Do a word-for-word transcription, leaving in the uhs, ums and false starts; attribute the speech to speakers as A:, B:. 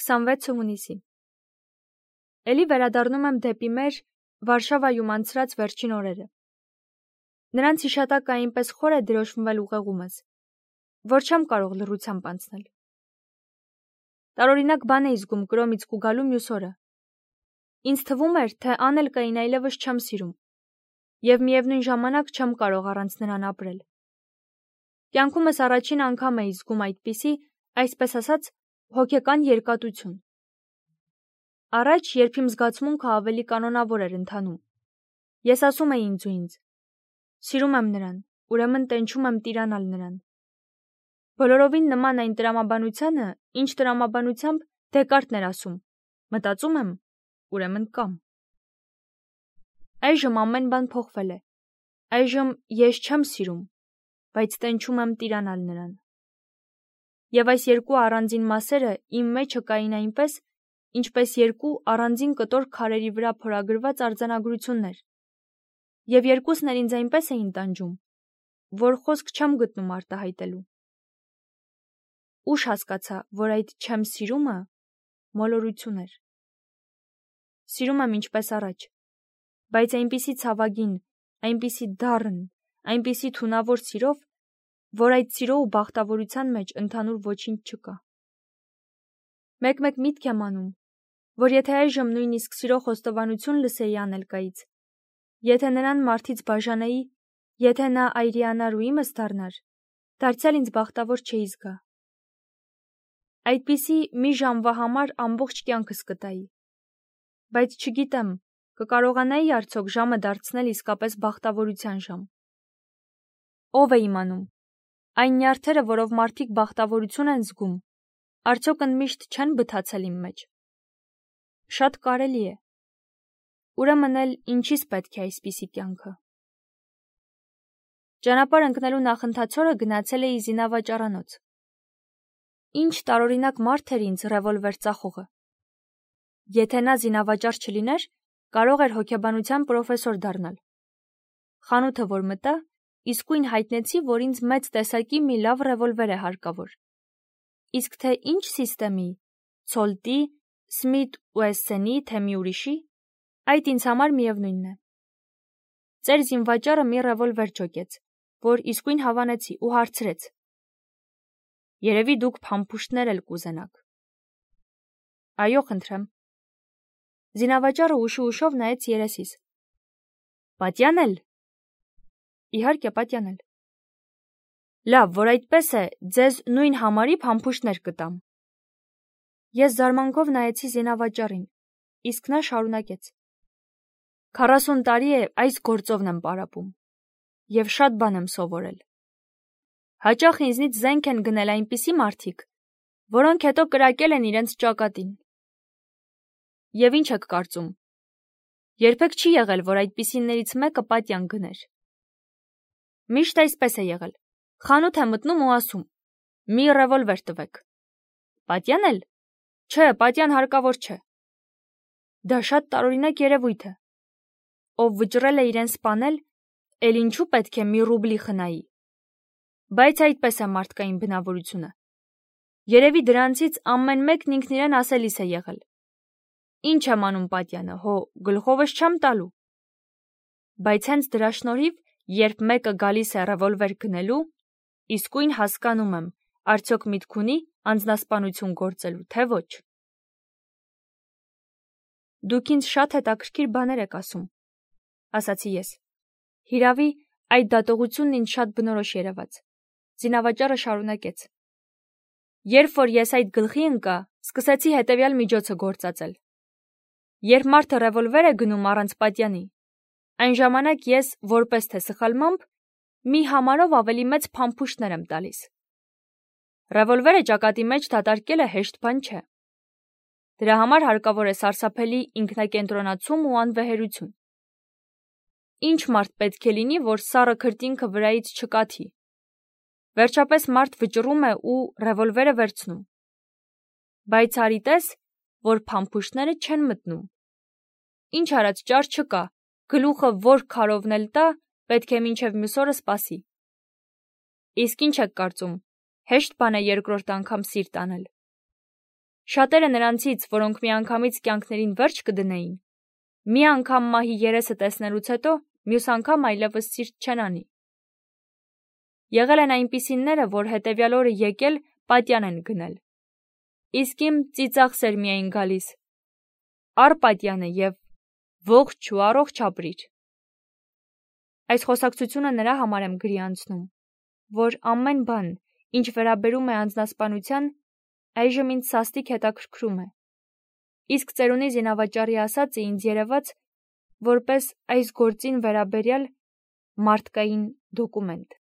A: քսանվեցը հունիսի։ Էլի վերադառնում եմ դեպի մեր Վարշավայում անցրած վերջին օրերը։ Նրանց հիշատակը այնպես խոր է դրոշմվել ուղեղումս, որ չեմ կարող լռությամբ անցնել։ Տարօրինակ բան էի զգում կրոմից կուգալու մյուս օրը։ Ինձ թվում էր, թե անել կային այլևս չեմ սիրում, և միևնույն ժամանակ չեմ կարող առանց նրան ապրել։ Կյանքումս առաջին անգամ էի զգում այդպիսի, այսպես ասած, հոգեկան երկատություն։ Առաջ, երբ իմ զգացմունքը ավելի կանոնավոր էր ընթանում, ես ասում էի ինձ ու ինձ. սիրում եմ նրան, ուրեմն տենչում եմ տիրանալ նրան։ Բոլորովին նման այն տրամաբանությանը, ինչ տրամաբանությամբ Դեկարտն էր ասում. մտածում եմ, ուրեմն կամ։ Այժմ ամեն բան փոխվել է։ Այժմ ես չեմ սիրում, բայց տենչում եմ տիրանալ նրան։ Եվ այս երկու առանձին մասերը իմ մեջը կային այնպես, ինչպես երկու առանձին կտոր քարերի վրա փորագրված արձանագրություններ, և երկուսն էլ ինձ այնպես էին տանջում, որ խոսք չեմ գտնում արտահայտելու։ Ուշ հասկացա, որ այդ չեմ սիրումը մոլորություն էր։ Սիրում եմ ինչպես առաջ, բայց այնպիսի ցավագին, այնպիսի դառն, այնպիսի թունավոր սիրով, որ այդ սիրո ու բախտավորության մեջ ընդհանուր ոչինչ չկա։ Մեկ-մեկ միտք եմ անում, որ եթե այժմ նույնիսկ սիրո խոստովանություն լսեի Անելկայից, եթե նրան մարդից բաժանեի, եթե նա այրիանար ու իմս դառնար, դարձյալ ինձ բախտավոր չէի զգա։ Այդպիսի մի ժամվա համար ամբողջ կյանքս կտայի, բայց չգիտեմ, կկարողանայի արդյոք ժամը դարձնել իսկապես բախտավորության ժամ։ Ով է իմանում, այն նյարդերը, որով մարդիկ բախտավորություն են զգում, արդյոք ընդմիշտ չեն բթացել իմ մեջ։ Շատ կարելի է։ Ուրեմն էլ ինչի՞ս պետք է այսպիսի կյանքը։ Ճանապարհ ընկնելու նախընթացորը գնացել էի զինավաճառանոց։ Ինչ տարօրինակ մարդ էր ինձ ռևոլվեր ծախողը։ Եթե նա զինավաճառ չլիներ, կարող էր հոգեբանության պրոֆեսոր դառնալ։ Խանութը որ մտա, իսկույն հայտնեցի, որ ինձ մեծ տեսակի մի լավ ռևոլվեր է հարկավոր։ Իսկ թե ինչ սիստեմի, Ցոլտի, Սմիթ ու Էսսենի, թե մի ուրիշի, այդ ինձ համար միևնույնն է։ Ծեր զինվաճառը մի ռևոլվեր ջոկեց, որ իսկույն հավանեցի ու հարցրեց. Երևի դուք փամփուշտներ էլ կուզենաք։ Այո, խնդրեմ։ Զինավաճառը ուշի-ուշով նայեց երեսիս։ Պատյանել։ Իհարկե, պատյանել։ Լավ, որ այդպես է, ձեզ նույն համարի փամփուշտներ կտամ։ Ես զարմանքով նայեցի զինավաճառին, իսկ նա շարունակեց. Քառասուն տարի է այս գործովն եմ պարապում, և շատ բան եմ սովորել։ Հաճախ ինձնից զենք են գնել այնպիսի մարդիկ, որոնք հետո կրակել են իրենց ճակատին։ Եվ ինչ եք կարծում։ Երբեք չի եղել, որ այդպիսիներից մեկը պատյան գներ։ Միշտ այսպես է եղել։ Խանութ է մտնում ու ասում. մի ռևոլվեր տվեք։ Պատյանել։ Չէ, պատյան հարկավոր չէ։ Դա շատ տարօրինակ երևույթ է։ Ով վճռել է իրեն սպանել, էլ ինչու պետք է մի ռուբլի խնայի։ Բայց այդպես է մարդկային բնավորությունը։ Երևի դրանցից ամեն մեկն ինքն իրեն ասելիս է եղել. Ինչ եմ անում պատյանը, հո գլխովս չեմ տալու։ Բայց հենց դրա շնորհիվ, երբ մեկը գալիս է ռևոլվեր գնելու, իսկույն հասկանում եմ, արդյոք միտք ունի անձնասպանություն գործելու, թե ոչ։ Դուք ինձ շատ հետաքրքիր բաներ եք ասում, ասացի ես։ Հիրավի, այդ դատողությունն ինձ շատ բնորոշ երևաց։ Զինավաճառը շարունակեց. Երբ որ ես այդ գլխի ընկա, սկսեցի հետևյալ միջոցը գործածել։ Երբ մարդը ռևոլվեր է գնում առանց պատյանի, այն ժամանակ ես, որպես թե սխալմամբ, մի համարով ավելի մեծ փամփուշտներ եմ տալիս։ Ռևոլվերը ճակատի մեջ դատարկելը հեշտ բան չէ։ Դրա համար հարկավոր է սարսափելի ինքնակենտրոնացում ու անվեհերություն։ Ինչ մարդ պետք է լինի, որ սառը քրտինքը վրայից չկաթի։ Վերջապես մարդ վճռում է ու ռևոլվերը վերցնում։ Բայց արի տես, որ փամփուշտները չեն մտնում։ Ինչ արած ճար չկա, գլուխը որ քարովն էլ տա, պետք է մինչև մյուս օրը սպասի։ Իսկ ինչ եք կարծում, հեշտ բան է երկրորդ անգամ սիրտ անել։ Շատերը նրանցից, որոնք միանգամից կյանքներին վերջ կդնեին, մի անգամ մահի երեսը տեսնելուց հետո մյուս անգամ այլևս սիրտ չեն անի։ Եղել են այնպիսինները, որ հետևյալ օրը եկել պատյան են գնել։ Իսկ իմ ծիծաղ սեր միայն գալիս, առ պատյանը և ողջ ու առողջ ապրիր։ Այս խոսակցությունը նրա համար եմ գրի անցնում, որ ամեն բան, ինչ վերաբերում է անձնասպանության, այժմ ինձ սաստիկ հետաքրքրում է։ Իսկ ծերունի զինավաճառի ասածը ինձ երևաց որպես այս գործին վերաբերյալ մարդկային դոկումենտ։